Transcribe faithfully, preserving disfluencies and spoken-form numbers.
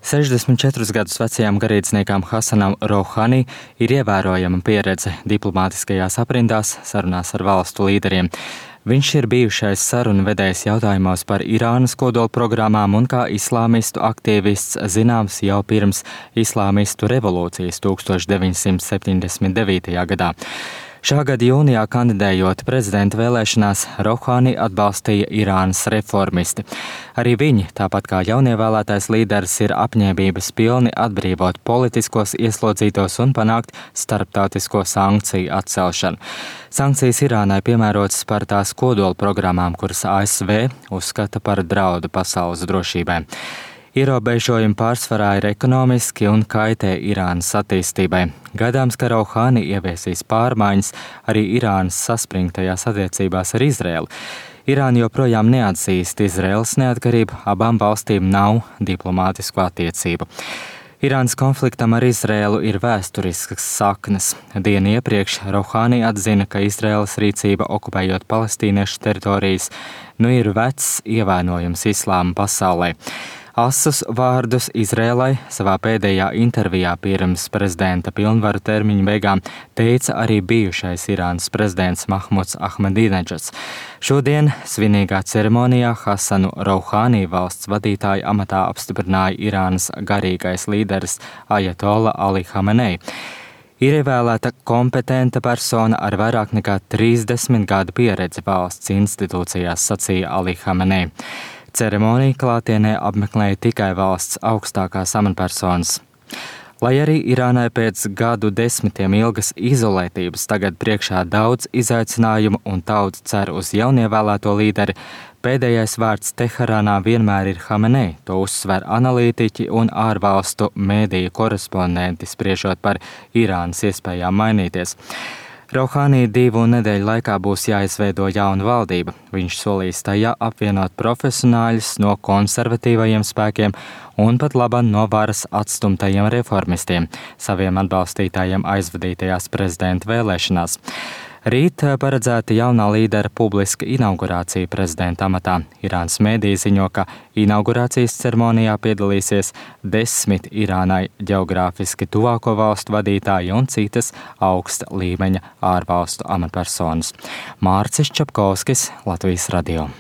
sešdesmit četrus gadus vecajam garīdzniekam Hasanam Rouhani ir ievērojama pieredze diplomātiskajās aprindās sarunās ar valstu līderiem. Viņš ir bijušais sarunu vedējs jautājumos par Irānas kodolprogrammām un kā islāmistu aktīvists zināms jau pirms islāmistu revolūcijas deviņdesmit septiņdesmit devītajā gadā. Šā gada jūnijā kandidējot prezidenta vēlēšanās, Rouhani atbalstīja Irānas reformisti. Arī viņi, tāpat kā jaunievēlētais līderis, ir apņēmības pilni atbrīvot politiskos ieslodzītos un panākt starptautisko sankciju atcelšanu. Sankcijas Irānai piemērotas par tās kodola programmām, kuras A S V uzskata par draudu pasaules drošībai. Ierobežojumi pārsvarā ir ekonomiski un kaitē Irānas attīstībai. Gaidāms, ka Rouhani ieviesīs pārmaiņas arī Irānas saspringtajās attiecībās ar Izraēlu. Irāna joprojām neatzīst Izraēlas neatkarību, abām valstīm nav diplomātisku attiecību. Irānas konfliktam ar Izraēlu ir vēsturiskas saknes. Dienu iepriekš Rouhani atzina, ka Izraēlas rīcība okupējot palestīniešu teritorijas nu ir vecs ievainojums islāma pasaulē. Asus vārdus Izrēlai savā pēdējā intervijā pirms prezidenta pilnvaru termiņa beigām teica arī bijušais Irānas prezidents Mahmuds Ahmadineģads. Šodien svinīgā ceremonijā Hasanu Rouhani valsts vadītāja amatā apstiprināja Irānas garīgais līderis Ajatola Ali Hamenei. Ir ievēlēta kompetenta persona ar vairāk nekā trīsdesmit gadu pieredzi valsts institūcijās, sacīja Ali Hamenei. Ceremoniju klātienē apmeklēja tikai valsts augstākās amatpersonas. Lai arī Irānai pēc gadu desmitiem ilgas izolētības tagad priekšā daudz izaicinājumu un tauta cer uz jaunievēlēto līderi, pēdējais vārds Teherānā vienmēr ir Hamenei, to uzsver analītiķi un ārvalstu mēdīju korespondenti, spriežot par Irānas iespējām mainīties. Rouhani divu nedēļu laikā būs jāizveido jauna valdība. Viņš solīs tajā apvienot profesionāļus no konservatīvajiem spēkiem un pat labam no varas atstumtajiem reformistiem, saviem atbalstītājiem aizvadītajās prezidenta vēlēšanās. Rīt paredzēta jaunā līdera publiska inaugurācija prezidenta amatā. Irānas mēdīji ziņo, ka inaugurācijas ceremonijā piedalīsies desmit Irānai ģeogrāfiski tuvāko valstu vadītāji un citas augsta līmeņa ārvalstu amatpersonas. Mārcis Čapkovskis, Latvijas radio.